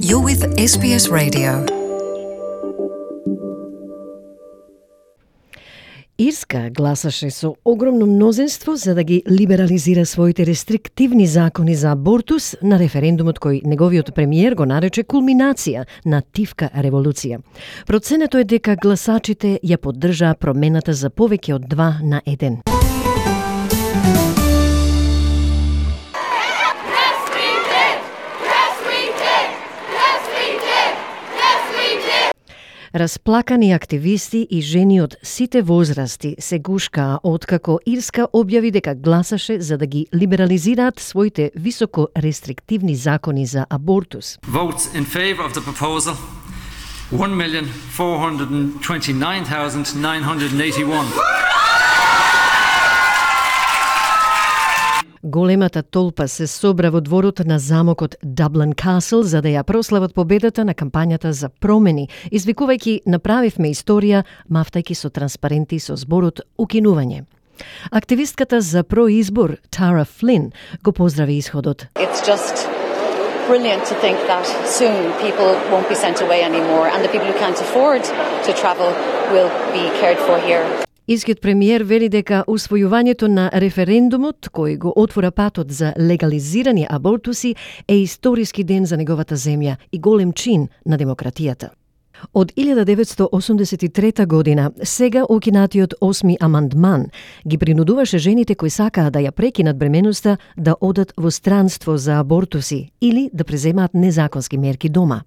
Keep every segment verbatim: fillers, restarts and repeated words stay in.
You're with S B S Radio. Ирска гласаше со огромно мнозинство за да ги либерализира своите рестриктивни закони за абортус на референдумот кој неговиот премиер го нарече кулминација на тивка револуција. Проценето е дека гласачите ја поддржаа промената за повеќе од два на еден. Расплакани активисти и жени од сите возрасти се гушкаа откако Ирска објави дека гласаше за да ги либерализираат своите високо рестриктивни закони за абортус. Votes in favor of the proposal one million four hundred twenty-nine thousand nine hundred eighty-one. Големата толпа се собра во дворот на замокот Даблин Касл за да ја прослават победата на кампањата за промени, извикувајќи "Направивме историја", мафтајќи со транспаренти со зборот "Укинување". Активистката за произбор Тара Флин го поздрави исходот. It's just brilliant to think that soon people won't be sent away anymore and the people who can't afford to travel will be cared for here. Ирскиот премиер вели дека усвојувањето на референдумот кој го отвора патот за легализирани абортуси е историски ден за неговата земја и голем чин на демократијата. Од илјада деветстотини осумдесет и трета година, сега укинатиот осми амандман ги принудуваше жените кои сакаа да ја прекинат бременоста да одат во странство за абортуси или да преземаат незаконски мерки дома.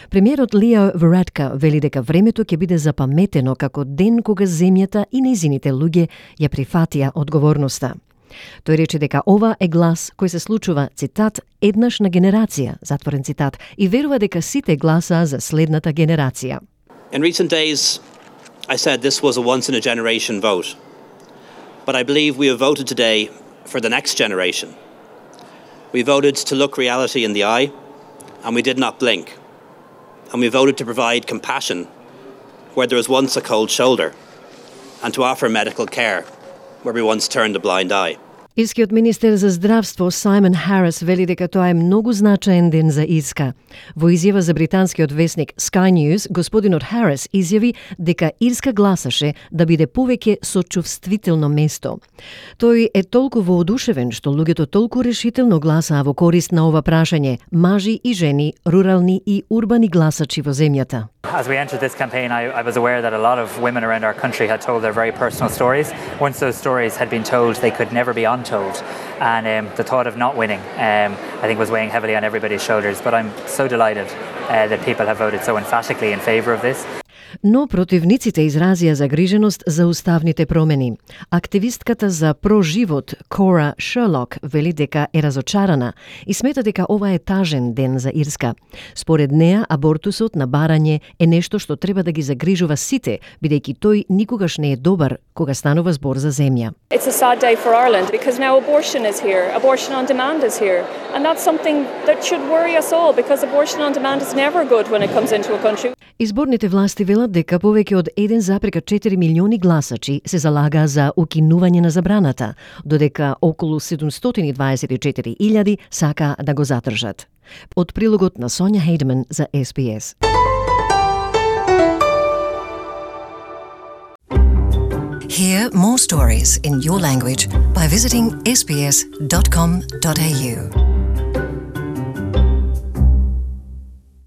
Премиерот Лео Варадка вели дека времето ќе биде запаметено како ден кога земјата и нејзините луѓе ја прифатија одговорноста. Тој рече дека ова е глас кој се случува, цитат, еднаш на генерација, затворен цитат, и верува дека сите гласаа за следната генерација. In recent days, I said this was a once-in-a-generation vote. But I believe we have voted today for the next generation. We voted to look reality in the eye, and we did not blink. And we voted to provide compassion where there was once a cold shoulder, and to offer medical care where we once turned a blind eye. Ирскиот министер за здравство Саймон Харис вели дека тоа е многу значаен ден за Ирска. Во изјава за британскиот весник Sky News, господинот Харис изјави дека Ирска гласаше да биде повеќе сочувствително место. Тој е толку воодушевен што луѓето толку решително гласаа во корист на ова прашање, мажи и жени, рурални и урбани гласачи во земјата. As we entered this campaign, I, I was aware that a lot of women around our country had told their very personal stories. Once those stories had been told, they could never be untold. And um, the thought of not winning, um, I think, was weighing heavily on everybody's shoulders. But I'm so delighted uh, that people have voted so emphatically in favour of this. Но противниците изразија загриженост за уставните промени. Активистката за проживот Кора Шерлок вели дека е разочарана и смета дека ова е тажен ден за Ирска. Според неа, абортусот на барање е нешто што треба да ги загрижува сите, бидејќи тој никогаш не е добар кога станува збор за земја. It's a sad day for Ireland because now abortion is here. Abortion on demand is here. And that's something that should worry us all because abortion on demand is never good when it comes into a country. Изборните власти велат дека повеќе од еден зарез четири милиони гласачи се залагаа за укинување на забраната, додека околу седумстотини дваесет и четири илјади сакаа да го задржат. Од прилогот на Сонја Хейдман за S B S. Hear more stories in your language by visiting s b s dot com dot a u.